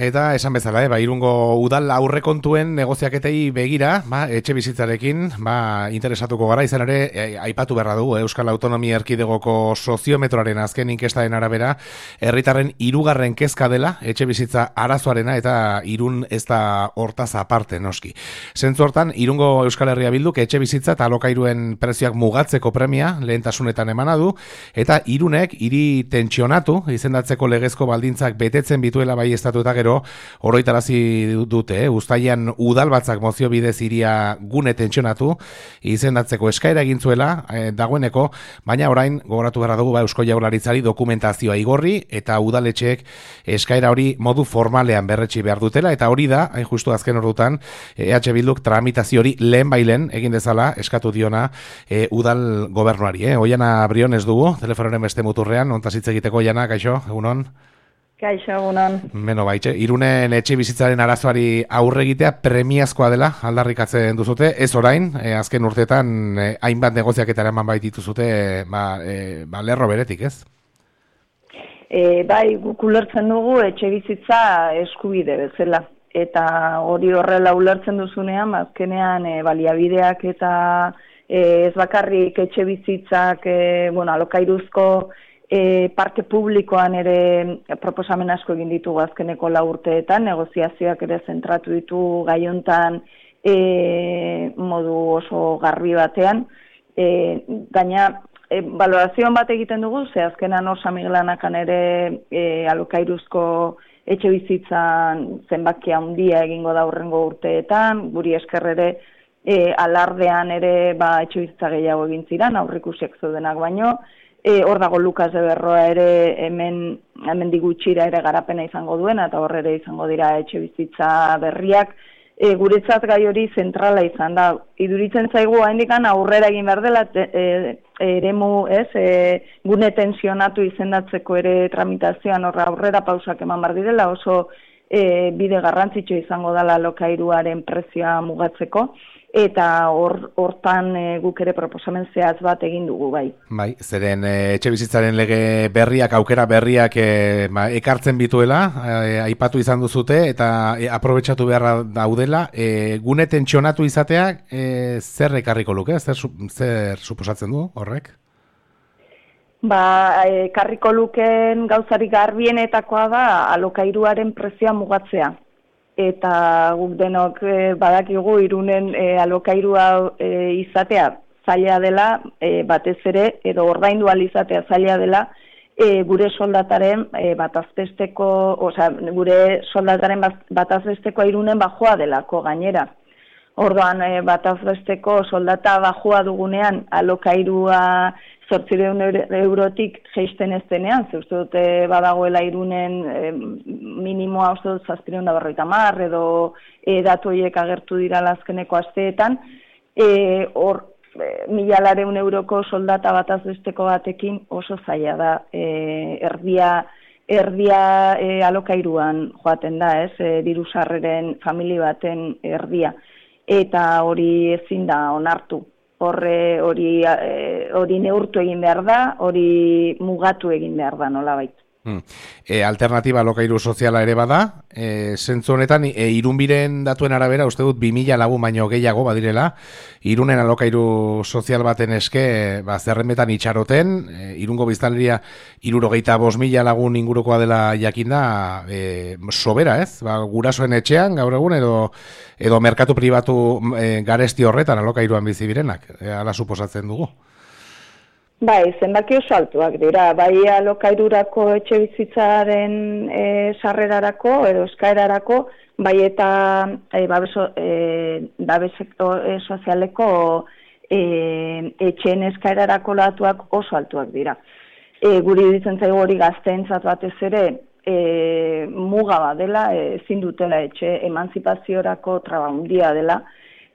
Eta esan bezala, Irungo udal aurrekontuen negoziaketei begira, etxe bizitzarekin, interesatuko gara, izan ere, aipatu beharra dugu, Euskal Autonomia Erkidegoko soziometroaren azken inkestaren arabera, herritarren hirugarren kezka dela, etxe bizitza arazoarena eta Irun ez da hortaz aparte, noski. Zentzu hortan, Irungo Euskal Herria Bilduk etxe bizitza eta alokairuen prezioak mugatzeko premia lehentasunetan emana du, eta Irunek hiri tentsionatu izendatzeko legezko baldintzak betetzen bituela bai estatu eta gero oroitarazi dute, uztailean udalbatzak mozio bidez hiria gune tentsionatu izendatzeko eskaera egin zuela dagoeneko, baina orain gogoratu behar dugu Eusko Jaurlaritzari dokumentazioa igorri eta udaletxeek eskaera hori modu formalean berretsi behar dutela, eta hori da, hain justu azken ordutan, EH Bilduk tramitazio hori lehen egin dezala eskatu diona udal gobernuari. Oiana Briones dugu, telefonoren beste muturrean, ontaz hitz egiteko. Oiana, kaixo, egunon? Kaixo, egunon. Beno, Irunen etxe bizitzaren arazoari aurre egitea premiazkoa dela aldarrikatzen duzute, ez orain, azken urteetan hainbat negoziaketara eman baitituzute lerro beretik, ez? Bai, guk ulertzen dugu etxe bizitza eskubide bezala. Eta hori horrela ulertzen duzunean, azkenean baliabideak eta ez bakarrik etxe bizitzak, alokairuzko parke publikoan ere proposamen asko egin ditugu azkeneko 4 urteetan, negoziazioak ere zentratu ditu gai hontan modu oso garbi batean. Gaina, balorazioan bat egiten dugu, ze azkenan Osa Miguelanakan ere alokairuzko etxe bizitzan zenbakia handia egingo da hurrengo urteetan, guri esker ere alardean ere etxe bizitza gehiago egin ziren, aurrikusiak zeudenak baino. Hor dago Lukas de Berroa ere hemen digutxira ere garapena izango duena, eta hor ere izango dira etxe bizitza berriak. Guretzat gai hori zentrala izan da. Iduritzen zaigu haindikan aurrera egin behar dela eremu, gune tensionatu izendatzeko ere tramitazioan aurrera pausak eman behar direla, oso bide garrantzitsu izango dela alokairuaren prezioa mugatzeko. Eta hortan guk ere proposamen zehatz bat egin dugu, bai. Bai, zeren etxe bizitzaren lege berriak, aukera berriak ekartzen bituela, aipatu izan duzute, eta aprobetxatu beharra daudela. Gune tentsionatu izateak zer ekarriko luke, zer suposatzen du horrek? Ekarriko luken gauzarik garbienetakoa da alokairuaren prezioa mugatzea. Eta guk denok badakigu Irunen alokairua izatea zaila dela, batez ere, edo ordaindu ahal izatea zaila dela, gure soldataren batazbesteko Irunen bajoa delako gainera. Orduan batazbesteko soldata bajoa dugunean alokairua 800 eurotik jeisten ez denean, ze uste dute badagoela Irunen minimoa uste dut 750 edo datu horiek agertu dira azkeneko asteetan, hor 1.200 euroko soldata batazbesteko batekin oso zaila da, erdia alokairuan joaten da, diru sarreren familia baten erdia, eta hori ezin da onartu. Hori neurtu egin behar da, hori mugatu egin behar da, nolabait. Alternatiba alokairu soziala ere bada, zentzu honetan, Irunbiren datuen arabera, uste dut 2000 lagun baino gehiago badirela, Irunen alokairu sozial baten eske, zerrenbetan itxaroten, Irungo biztanleria 75.000 lagun ingurukoa dela jakinda, sobera, ez? Gurasoen etxean, gaur egun, edo merkatu pribatu garesti horretan alokairuan bizi birenak, hala suposatzen dugu. Bai, zenbaki oso altuak dira, bai alokairurako etxe bizitzaren sarrerarako edo eskaerarako, bai eta babes sozialeko etxeen eskaerarako datuak oso altuak dira. Guri ditzen zaigu hori gazteentzat batez ere muga bat dela, ezin dutela etxe emantzipaziorako traba handia dela.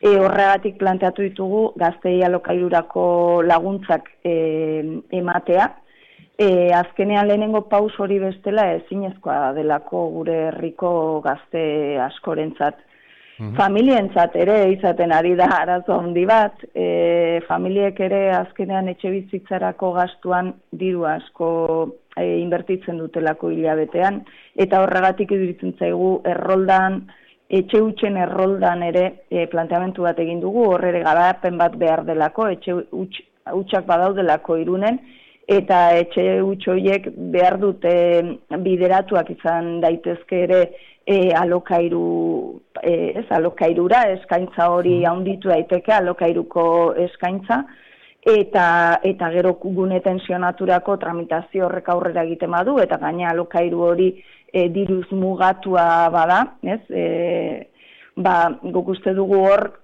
Horregatik planteatu ditugu gaztei alokairurako laguntzak ematea. Azkenean lehenengo paus hori bestela ezinezkoa delako gure herriko gazte askorentzat. Familientzat ere izaten ari da arazo handi bat, familiek ere azkenean etxe bizitzarako gastuan diru asko inbertitzen dutelako hilabetean, eta horregatik iruditzen zaigu erroldan, etxe hutsen erroldan ere planteamentu bat egin dugu, horre garapen bat behar delako, etxe hutsak badaudelako Irunen, eta etxe huts horiek behar dute bideratuak izan daitezke ere alokairura, eskaintza hori handitu daiteke, alokairuko eskaintza, eta gero gune tensionaturako tramitazio horrek aurrera egiten badu, eta gaina alokairu hori diruz mugatua bada, ez? Guk uste dugu hor,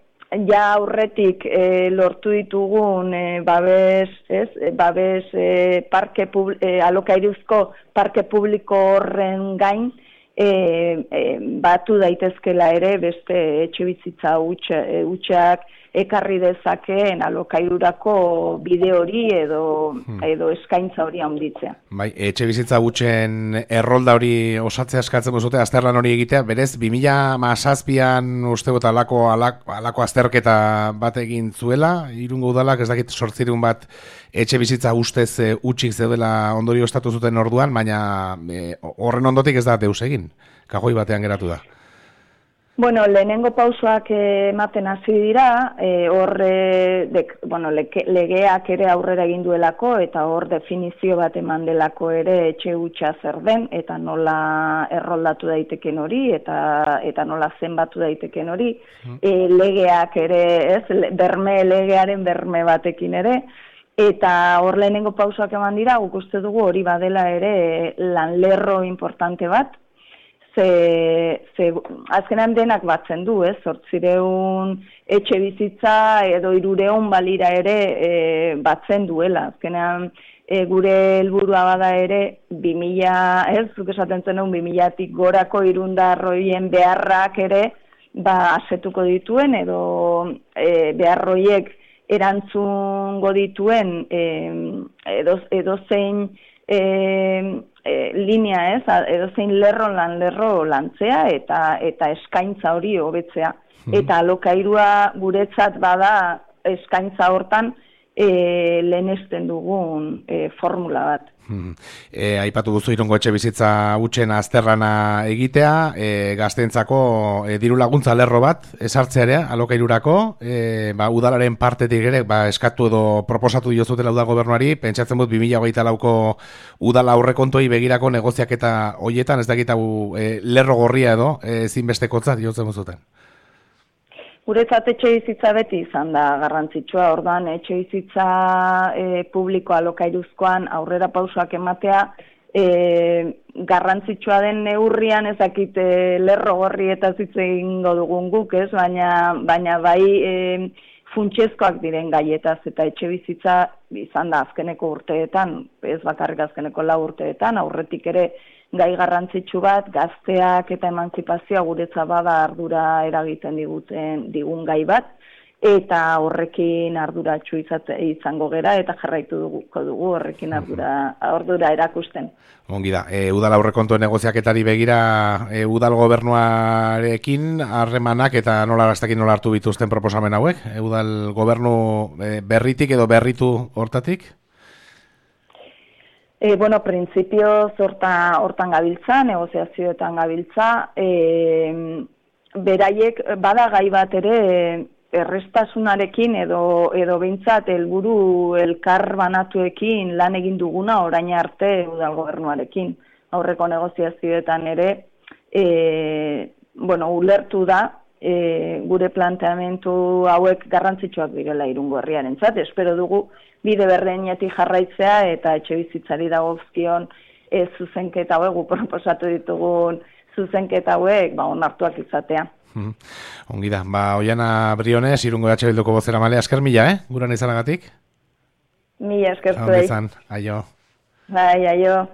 ja aurretik lortu ditugun babes alokairuzko parke publiko horren gain, batu daitezkela ere beste etxebizitza hutsak ekarri dezakeen alokairurako bide hori edo eskaintza hori handitzea. Bai, etxebizitza hutsen errolda hori osatzea eskatzen duzute, azterlan hori egitea, berez 2017an uste dut alako azterketa bat egin zuela, Irungo udalak ez dakit 800 bat etxebizitza ustez hutsik zeudela ondorio estatu zuten orduan, baina horren ondotik ez da deus egin, kajoi batean geratu da. Bueno, lehenengo pausoak ematen hasi dira, legeak ere aurrera egin duelako, eta hor definizio bat eman delako ere etxe hutsa zer den, eta nola erroldatu daiteken hori, eta nola zenbatu daiteken hori, legeak ere, legearen berme batekin ere, eta hor lehenengo pausoak eman dira, guk uste dugu hori badela ere lanlerro importante bat, azkenan denak batzen du, 800 etxe bizitza edo 300 balira ere batzen duela. Azkenan gure helburua bada ere 2000, zuk esaten zenuen 2000tik gorako irundarroien beharrak ere asetuko dituen edo beharroiek erantzungo dituen edozein linea edozein lerro lantzea eta eskaintza hori hobetzea. Eta alokairua guretzat bada eskaintza hortan lehenesten dugun formula bat. Aipatu duzu Irungo etxe bizitza hutsen azterlana egitea, gazteentzako diru laguntza lerro bat esartzearea alokairurako, udalaren partetik ere eskatu edo proposatu diozutela udal gobernuari, pentsatzen dut 2024ko udala aurrekontoi begirako negoziaketa hoietan, ez dakit hau lerro gorria edo ezinbestekotzat diotzen zuten. Guretzat etxe bizitza beti izan da garrantzitsua, orduan etxe bizitza publiko alokairuzkoan aurrera pausoak ematea garrantzitsua den neurrian ezakit lerro gorri eta hitz egingo dugun guk, baina bai funtsezkoak diren gaietaz eta etxe bizitza izan da azkeneko urteetan, ez bakarrik azkeneko 4 urteetan, aurretik ere gai garrantzitsu bat, gazteak eta emantzipazioa guretza bada ardura eragiten digun gai bat, eta horrekin arduratsu izango gera, eta jarraitu dugu horrekin ardura erakusten. Ongi da, udal aurrekontuen negoziaketari begira udal gobernuarekin harremanak eta nola hartu bituzten proposamen hauek? Udal gobernu berritik edo berritu hortatik? Printzipioz hortan gabiltza, negoziazioetan gabiltza, beraiek bada gai bat ere errestasunarekin edo behintzat helburu elkar banatuekin lan egin duguna orain arte udal gobernuarekin. Aurreko negoziazioetan ere, ulertu da, gure planteamentu hauek garrantzitsuak direla Irungo herriarentzat. Espero dugu bide berdinetik jarraitzea eta etxe bizitzari dagozkion zuzenketa hauek, proposatu ditugun zuzenketa hauek onartuak izatea. Ongi da, Oiana Briones, Irungo EH Bilduko bozeramaile, esker mila, guran izanagatik? Mila eskertu. Aio. Bai, aio.